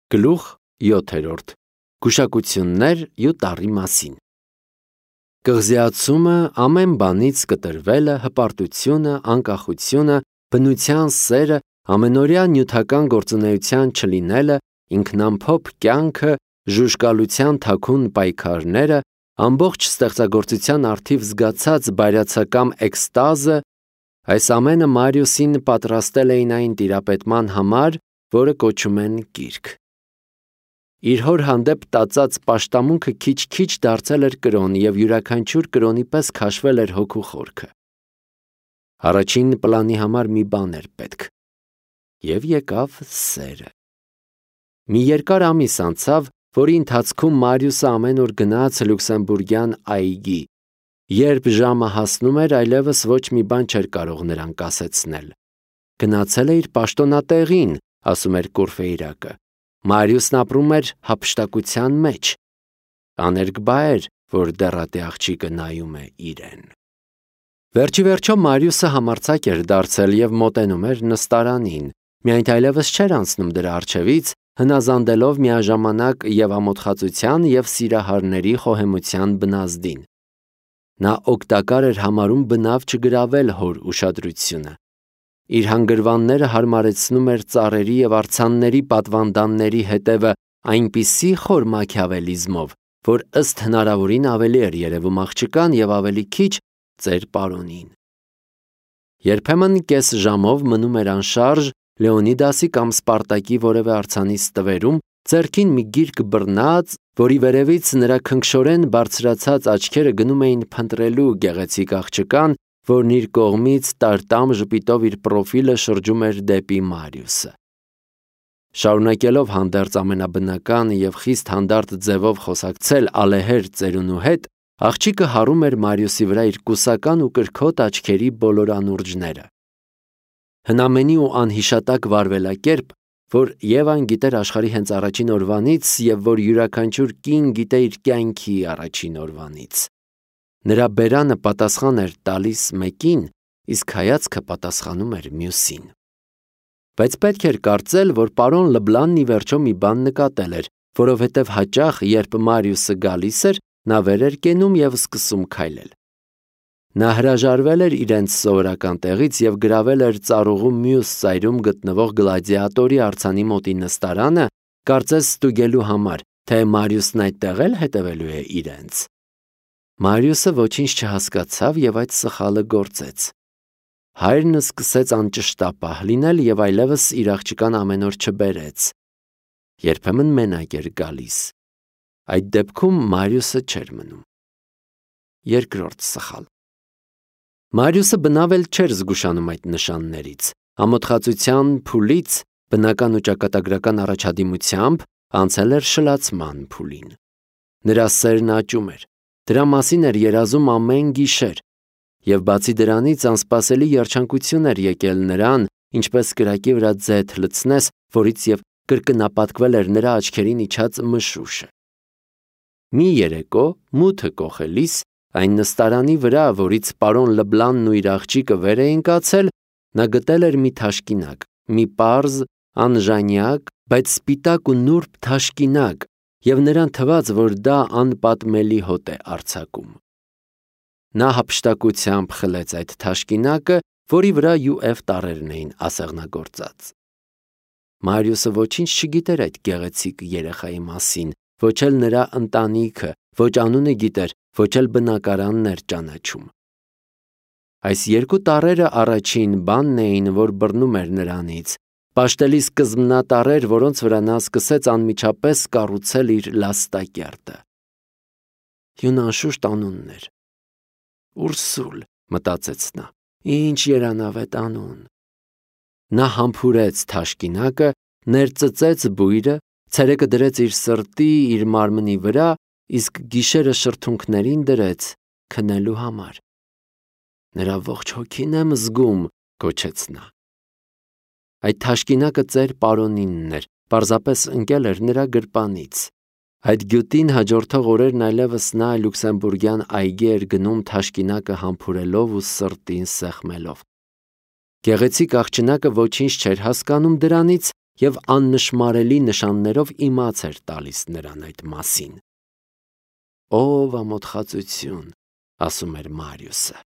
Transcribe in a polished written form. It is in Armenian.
Գլուխ 7. Գուշակություններ ու տառի մասին։ Կղզիացումը, ամեն բանից կտրվելը, հպարտությունը, անկախությունը, բնության սերը, ամենօրյա նյութական գործունեության չլինելը, ինքնամփոփ կյանքը, ժուժկալության թաքուն պայքարները, ամբողջ ստեղծագործության առթիվ զգացած բայրացակամ էքստազը, այս ամենը Մարիուսին պատրաստել էին այն տիրապետման համար, որը կոչում են գիրք։ Իր հոր հանդեպ տածած պաշտամունքը քիչ-քիչ դարձել էր կրոն և յուրաքանչյուր կրոնի պես քաշվել էր հոգու խորքը։ Առաջին պլանի համար մի բան էր պետք։ Եվ եկավ սերը։ Մի երկար ամիս անցավ, որի ընթացքում Մարիուսը ամեն օր գնաց լյուքսեմբուրգյան այգի։ Երբ ժամը հասնում էր, այլևս ոչ մի բան չէր կարող նրան կասեցնել։ Գնացել է իր պաշտոնատեղին, ասում էր Կուրֆեյրակը։ Մարիուսն ապրում էր հափշտակության մեջ։ Աներկբա էր, որ դեռատե աղջիկը նայում է իրեն։ Վերջիվերջո Մարիուսը համարձակ էր դարձել և մոտենում էր նստարանին, միայն այլևս չէր անցնում դրա առջևից, հնազանդելով միաժամանակ և ամոթխածության և սիրահարների խոհեմության բնազդին։ Նա օգտակար էր համարում բնավ չգրավել հոր ուշադրությունը։ Իր հանգրվանները հարմարեցնում էր ծառերի և արձանների պատվանդանների հետևը այնպիսի խոր մաքիավելիզմով, որ ըստ հնարավորին ավելի էր երևում աղջկան և ավելի քիչ ծեր պարոնին։ Երբեմն կես ժամով մնում էր անշարժ Լեոնիդասի կամ Սպարտակի որևէ արձանի ստվերում, ձեռքին մի գիրք բռնած, որի վերևից նրա քնքշորեն բարձրացած աչքերը գնում էին փնտրելու գեղեցիկ աղջկան, որն իր կողմից տարտամ ժպիտով իր պրոֆիլը շրջում էր դեպի Մարիուսը։ Շարունակելով հանդերձ ամենաբնական և խիստ հանդարտ ձևով խոսակցել ալեհեր ծերունու հետ, աղջիկը հառում էր Մարիուսի վրա իր կուսական ու կրքոտ աչքերի բոլոր անուրջները։ Հնամենի ու անհիշատակ վարվելակերպ, որ Եվան գիտեր աշխարհի հենց առաջին օրվանից և որ յուրաքանչյուր կին գիտե իր կյանքի առաջին օրվանից։ Նրա բերանը պատասխան էր տալիս մեկին, իսկ հայացքը պատասխանում էր մյուսին։ Բայց պետք էր կարծել, որ պարոն Լբլանն ի վերջո մի բան նկատել էր, որովհետև հաճախ, երբ Մարիուսը գալիս էր, նա վեր էր կենում և սկսում քայլել։ Նա հրաժարվել էր իրենց սովորական տեղից և գրավել էր ծառուղու մյուս ծայրում գտնվող գլադիատորի արձանի մոտի նստարանը, կարծես ստուգելու համար, թե Մարիուսն այդտեղ էլ հետևելու է իրենց։ Մարիուսը ոչինչ չհասկացավ և այդ սխալը գործեց։ Հայրն սկսեց անճշտապահ լինել և այլևս իր աղջկան ամեն օր չբերեց։ Երբեմն մենակ էր գալիս։ Այդ դեպքում Մարիուսը չէր մնում։ Երկրորդ սխալ։ Մարիուսը բնավ էլ չէր զգուշանում այդ նշաններից։ Ամոթխածության փուլից, բնական ու ճակատագրական առաջադիմությամբ անցել էր շլացման փուլին։ Նրա սերն աճում էր։ Դրա մասին էր երազում ամեն գիշեր, և բացի դրանից անսպասելի երջանկություն էր եկել նրան, ինչպես կրակի վրա ձեթ լցնես, որից և կրկնապատկվել էր նրա աչքերին իջած մշուշը։ Մի երեկո, մութը կոխելիս, այն նստարանի վրա, որից պարոն Լբլանն ու իր աղջիկը վեր էին կացել, նա գտել էր մի թաշկինակ, մի պարզ, անժանյակ, բայց սպիտակ ու նուրբ թաշկինակ, և նրան թվաց, որ դա անպատմելի հոտ է արձակում։ Նա հափշտակությամբ խլեց այդ թաշկինակը, որի վրա յուև տառերն էին ասեղնագործած։ Մարիուսը ոչինչ չգիտեր այդ գեղեցիկ երեխայի մասին, ոչ էլ նրա ընտանիքը, ոչ անունը գիտեր, ոչ էլ բնակարանն էր ճանաչում։ Այս երկու տառերը առաջին բանն էին, որ բռնում էր նրանից, պաշտելի սկզբնատառեր, որոնց վրա նա սկսեց անմիջապես կառուցել իր լաստակերտը։ Յուն անշուշտ անունն էր։ Ուրսուլ, մտածեց նա, ինչ երանավետ անուն։ Նա համբուրեց թաշկինակը, ներծծեց բույրը, ցերեկը դրեց իր սրտի, իր մարմնի վրա, իսկ գիշերը շրթունքներին դրեց քնելու համար։ Նրա ողջ հոգին եմ զգում, գոչեց նա։ Այդ թաշկինակը ծեր պարոնինն էր, պարզապես ընկել էր նրա գրպանից։ Այդ գյուտին հաջորդող օրերն այլևս նա լյուքսեմբուրգյան այգի էր գնում թաշկինակը համբուրելով ու սրտին սեղմելով։ Գեղեցիկ աղջնակը ոչինչ չէր հասկանում դրանից և աննշմարելի նշաններով իմաց էր տալիս նրան այդ մասին։ «Ով ամոթխածություն», ասում էր Մարիուսը։